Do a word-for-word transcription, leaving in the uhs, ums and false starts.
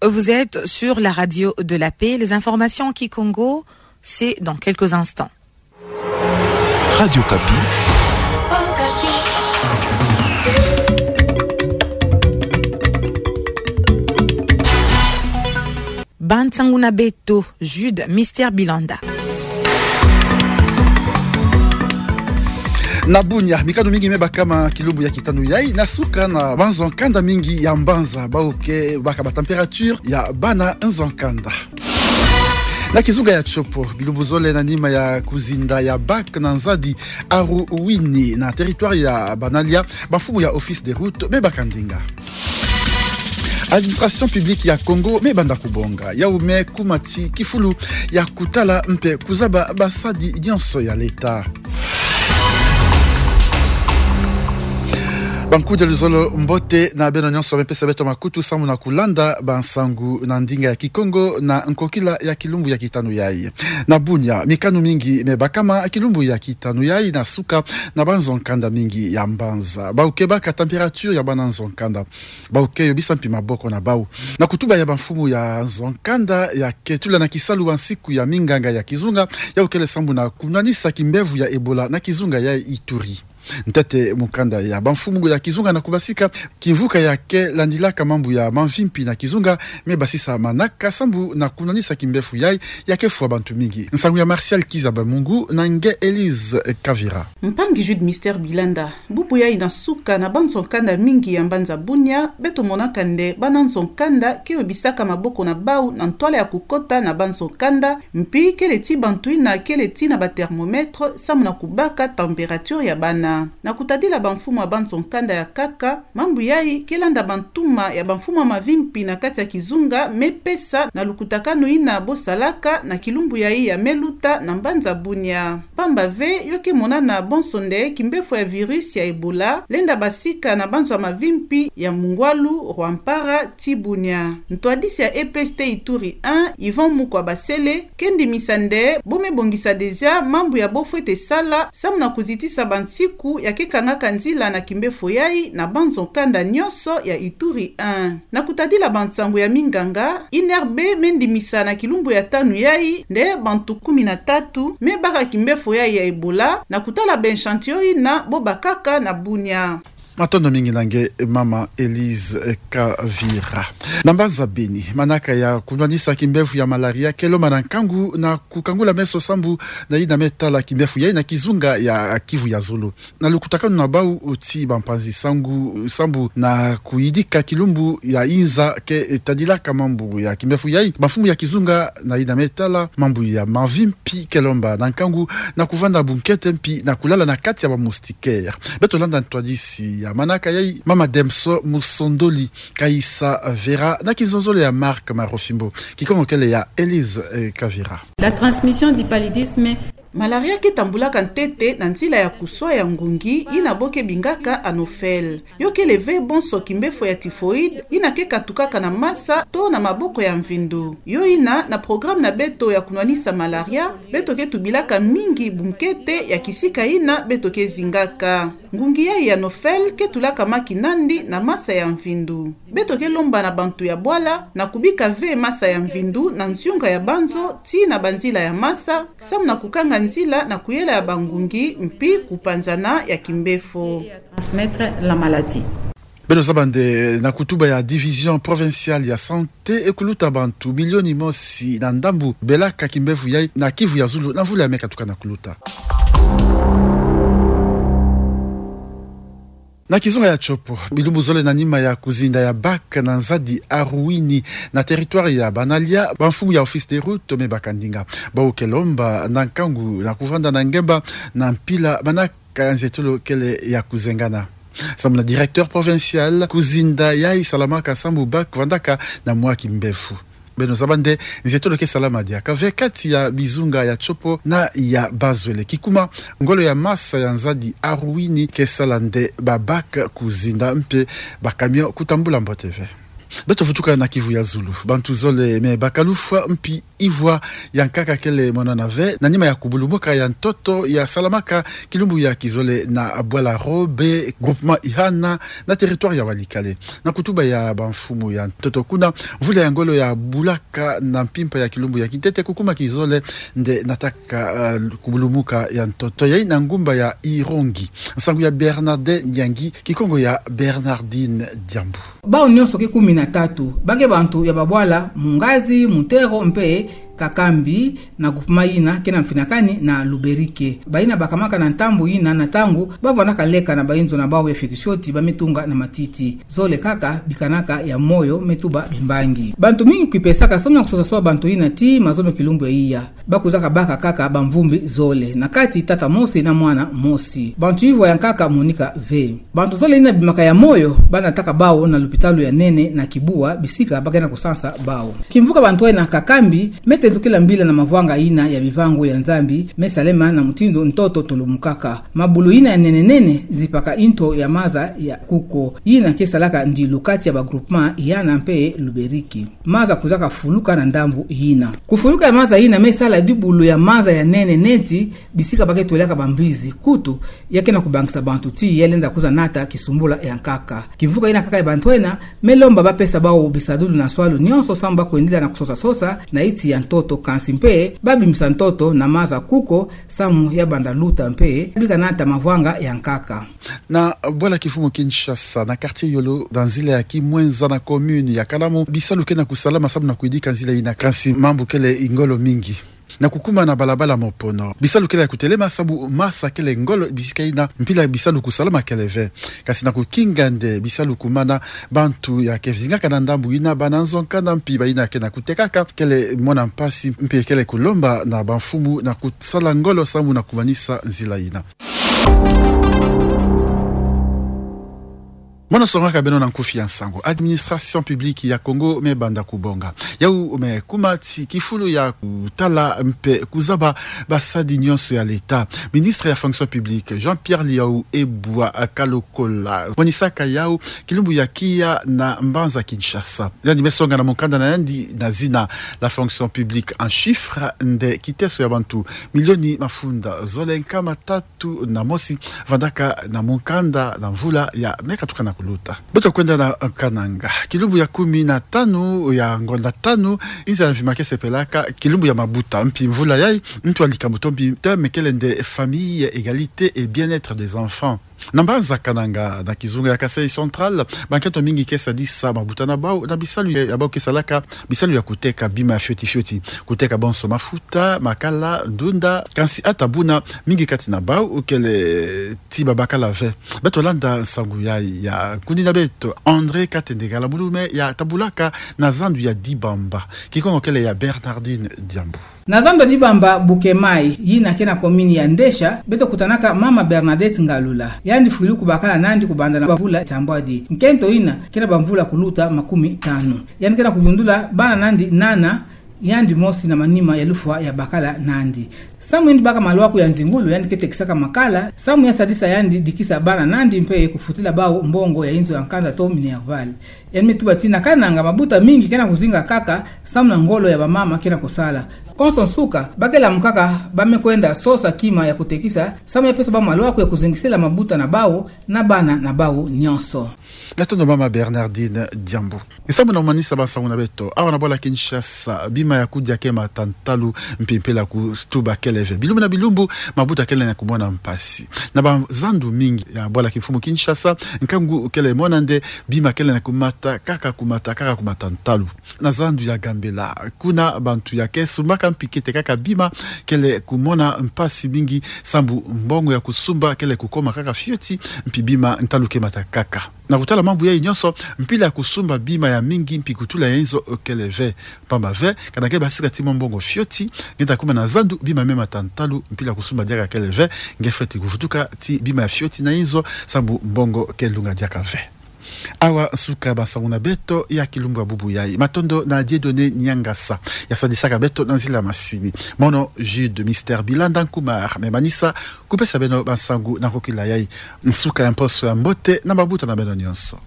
Vous êtes sur la radio de la paix. Les informations en kikongo, c'est dans quelques instants. Radio Okapi. Ba nsangu na beto, Jude Mister Bilanda. Na Bunia, mikanu mingi me bakama kilumbu ya kitanu yai, na suka na banzo nkanda mingi ya mbanza, bawu ke baka ba température ya bana nzo nkanda. Na kizunga ya Tshopo, bilumbu zole na nima ya kuzinda ya bac na Nzadi Aruwini na territoire ya Banalia, bamfumu ya office des routes me baka ndinga. Administration publique ya Congo me banda kubonga, yawu me kuma ti kifulu ya kutala mpe kuzaba basadi nyonso ya l'État. Bankudi ya luzolo, mbote na beno nyonso me pesa beto makutu sambu na kulanda bansangu na ndinga ya Kikongo na nkokila ya kilumbu ya kitanu yai. Na Bunia, mikanu mingi me bakama kilumbu ya kitanu yai na suka na banzo nkanda mingi ya mbanza, bawu ke baka température ya bana nzo nkanda, bawu ke yobisa mpi maboko na bawu. Na kutuba ya bamfumu ya nzo nkanda ya ke tula na kisalu bansiku ya minganga ya kizunga, yawu kele sambu na kunwanisa kimbevo ya Ebola na kizunga ya Ituri. Ntete mukanda ya bamfumu ya kizunga na kubasika, kimvuka ya ke landilaka mambu ya mamvi mpi na kizunga me basisa manaka sambu na kunwanisa kimbevo yai ya ke fwa bantu mingi. Nsangu ya Martial Kiza Bamungu na nge Elise Kavira. Mpangi Jude Mister Bilanda, bubu yai na suka na banzo nkanda mingi ya mbanza Bunia, beto monaka nde bana nzo nkanda ke yobisaka maboko na bawu na ntwala ya kukota na banzo nkanda, mpi kele ti bantu yina kele ti na ba thermomètre sambu na kubaka température ya bana. Na kutadila bamfumu ya banzo nkanda ya kaka, mambu yai ke landa bantuma ya bamfumu ya mavi mpi na kati ya kizunga me pesa na lukutakanu yina bo salaka na kilumbu yai ya me luta na mbanza Bunia. Pamba ve, yo ke monana bonso nde kimbevo ya virus ya Ebola lenda basika na banzo ya mavi mpi ya Mungwalu, Rwampara ti Bunia. Ntwadisi ya E P S T Ituri un, Yvon Mukwa Basele, ke ndimisa nde bo me bongisa déjà mambu ya bo fwete sala sambu na kuzitisa bansiku ya ke kangaka nzila na kimbevo yai na banzo nkanda nyonso ya Ituri un. Na kutadila bansangu ya minganga, I N R B me ndimisa na kilumbu ya tanu yai nde bantu kumi na tatu me baka kimbevo yai ya Ebola, na kutala ba échantillon yina bo bakaka na Bunia. Matondo mingi na nge, mama Elise, eh, Kavira. Na mbanza Beni, manaka ya kunwanisa kimbevo ya malaria ke lomba na nkangu na kukangula meso sambu na yina me tala kimbevo yai na kizunga ya Kivu ya Zulu. Na lukutakanu na bawu ti bampanzi nsangu sambu na kuyidika kilumbu ya inza ke tadilaka mambu ya kimbevo yai, bamfumu ya kizunga na yina me tala mambu ya mavi mpi ke lomba na nkangu na kuvanda bunkete mpi na kulala na kati ya ba moustiquaire. Beto landa ntwadisi ya manaka yai, mama Demso Musondoli Kaisa Vera, na kizozolo ya Marc Marofimbo. Kikongo kele ya Elise, eh, Kavira. La transmission du paludisme. Malaria ke tambulaka ntete na nzila ya kuswa ya ngungi yina bo ke bingaka Anopheles. Yo kele ve bonso kimbevo ya typhoïde yina ke katukaka na masa to na maboko ya mvindu. Yo yina, na programme na beto ya kunwanisa malaria, beto ke tubilaka mingi bunkete ya kisika yina beto ke zingaka. Ngungi yai ya Anopheles ke tulaka maki nandi na masa ya mvindu. Beto ke lomba na bantu ya bwala na kubika ve masa ya mvindu na nziunga ya banzo tii na banzila ya masa, sambu na kukanga nzila na kuyela ya bangungi mpi kupanzana ya kimbevo. Transmettre la maladie. Beno zaba nde na kutuba ya Division Provinciale ya Santé, e kuluta bantu milioni mosi na ndambu belaka kimbevo yai na Kivu ya Zulu na mvula ya me katuka na kuluta. Na kizunga ya Tshopo, bilumbu zole na nima ya kuzinda ya bac na Nzadi Aruwini na territoire ya Banalia, bamfumu ya office des routes me baka ndinga. Bawu ke lomba na nkangu na kuvanda na ngemba na mpila, manaka nzietolo kele ya kuzengana. Sambu na directeur provincial, kuzinda yai salamaka sambu bac vandaka na mwa kimbevo. Beno zaba nde nzietolo ke salama diaka ve kati ya bizunga ya Tshopo na ya Bas-Uele. Kikuma, ngolo ya masa ya Nzadi Aruwini ke sala nde ba bac kuzinda mpe ba camion kutambula mbote ve. Beto vutuka na kivu ya zulu. Bantu zole me baka lufwa mpi ivwa ya nkaka kele monana ve, na nima ya kubulumuka ya ntoto ya salamaka kilumbu ya kizole na bwala Robe, groupement Ihana, na territoire ya Walikale. Na kutuba ya bamfumu ya ntoto kuna, mvula ya ngolo ya bulaka na mpimpa ya kilumbu ya kintete kukuma kizole nde nataka, uh, kubulumuka ya ntoto yayi na ngumba ya Irongi. Nsangu ya Bernardin Nyangi, Kikongo ya Bernardine Diambu. Bawu nyonso ke kumi na tatu, ba ke bantu ya babwala Mungazi, Mutero mpe Kakambi, na groupement yina ke na mfinakani na Luberike. Bayina bakamaka na ntambu yina na ntangu bavwandaka leka na bayinzo na bawu ya fioti fioti ba me tunga na matiti. Zole kaka bikanaka ya moyo me tuba bimbangi. Bantu mingi kipesaka samu na kusosa sosa bantu yina tii mazono kilumbu ya iya. Ba kwizaka baka kaka bamvumbi zole, na kati tata mosi na mwana mosi. Bantu ivwa ya nkaka monika ve. Bantu zole yina bimaka ya moyo, ba nataka bawu na lupitalu ya nene na Kibua, bisika ba ke na kusansa bawu. Kimvuka bantu yina Kakambi me tendukila mbila na mavwanga yina ya bivangu ya Nzambi me salema na mutindu ntoto tulumukaka. Mabulu yina ya nene nene zipaka nto ya maza ya kuko, yina ke salaka ndilu kati ya ba groupement Ihana mpe Luberike. Maza kwizaka fuluka na ndambu yina. Kufuluka ya maza yina me sala dibulu ya maza ya nene neti bisika ba ke twelaka bambizi. Kutu, ya ke na kubangisa bantu tii ya lenda kwiza nata kisumbula ya nkaka. Kimvuka yina kaka ya bantu yina me lomba ba pesa bawu bisadulu na nswalu nyonso samu ba kwendila na kusosa sosa na nti ya ntoto, kansi mpe ba bimisa ntoto na maza kuko samu ya banda luta mpe bika nata mavwanga ya nkaka. Na bwala kimfumu Kinshasa, na quartier Yolo, na nzila ya Kimwenza na commune ya Kalamu, bisalu ke na kusalama samu na kuyidika nzila yina, kansi mambu kele ngolo mingi. Na kukuma na balabala Mopono, bisalu kele ya kutelema samu masa kele ngolo bisika yina, mpila bisalu kusalama kele ve. Kansi na kukinga nde bisalu kumana, bantu ya ke vingaka na ndambu yina, bana nzo nkanda mpi bayina ke na kutekaka, kele mona mpasi mpe kele kulomba na bamfumu na kusala ngolo samu na kumanisa nzila yina. Mono songaka beno na nkufi ya nsangu. Administration publique ya Congo me banda kubonga. Yawu me kuma ti kifulu ya kutala mpe kuzaba basadi nyonso ya l'État. Ministre ya fonction publique, Jean-Pierre Liau Ebwa Kalokola, monisaka yawu kilumbu ya kiya na mbanza Kinshasa. Yandi me songa na mukanda na yandi na zina La fonction publique en chiffres, nde kiteso ya bantu milioni mafunda zole nkama tatu na mosi vandaka na mukanda na mvula ya me katuka na kuluta. Beto kwenda na Kananga. Kilumbu ya kumi na tanu ya ngonda tanu, inza ya mvimba ke sepelaka kilumbu ya mabuta. Mpi mvula yayi, ntu ya likamuto mpi thème kele nde famille, égalité et bien-être des enfants. Na mbanza Kananga, na kizunga ya Kasaï Central, bankento mingi ke sadisa mabuta na bawu na bisalu ya, ya bawu ke salaka, bisalu ya kuteka bima fioti fioti. Kuteka bonso mafuta, makala, ndunda, kansi ata buna, mingi kati na bawu kele ti babakala ve. Beto landa nsangu ya, ya nkuni na beto, André Katende Ngala, mulume ya tabulaka na zandu ya Dibamba. Kikongo kele ya Bernardine Diambu. Na zandu ya Dibamba Bukemayi, yina ke na commune ya Ndesha, beto kutanaka mama Bernadette Ngalula. Yandi fwilu kubakala nandi kubanda na bamvula tambwadi. Nkento yina ke na bamvula kuluta makumi tanu. Yandi ke na kuyundula bana nandi nana, yandi mosi na manima ya lufwa ya bakala nandi. Samu yandi baka malwaku ya nzingulu, yandi ke tekisaka makala, samu ya sadisa yandi dikisa bana nandi mpe kufutila bawu mbongo ya inzo ya nkanda to minerval. Yandi me tuba ti na Kananga mabuta mingi ke na kuzinga kaka, samu na ngolo ya bamama ke na kusala. Konso nsuka, ba ke lamukaka, ba me kwenda sosa kima ya kutekisa, samu ya pesa bawu malwaku ya kuzingisila mabuta na bawu, na bana na bawu nyonso. Matondo mama Bernardine Diambu. Samu na kumanisa bansangu na beto, awa na bwala Kinshasa, bima ya kudia ke mata ntalu, mpi mpila kutuba kele ve. Bilumbu na bilumbu, mabuta kele na kumona mpasi. Na bazandu mingi ya bwala kimfumu Kinshasa, nkangu kele mona nde bima kele na kumata, kaka kumata, kaka kumata ntalu. Na zandu ya Gambela, kuna bantu ya ke sumbaka mpi ke tekaka bima, kele kumona mpasi mingi, samu mbongo ya kusumba kele kukoma kaka fioti, mpi bima ntalu ke mata kaka. Na kutala mambu yayi nyonso, mpila ya kusumba bima ya mingi mpi kutula ya inzo kele ve. Pamba ve, kana nge basika ti mwa mbongo fioti, nge ta kuma na zandu bima me mata ntalu, mpila ya kusumba diaka kele ve, nge fweti kuvutuka ti bima ya fioti na inzo, samu mbongo ke lunga diaka ve. Awa nsuka ya bansangu na beto ya kilumbu ya bubu yayi. Matondo na Dieudonné Niangasa, ya sadisaka beto na nzila masini. Mono Jude Mister Bilanda Nkumar me manisa kupesa beno bansangu na kokila yayi. Nsuka ya mposo ya mbote na mabuta na beno nyonso.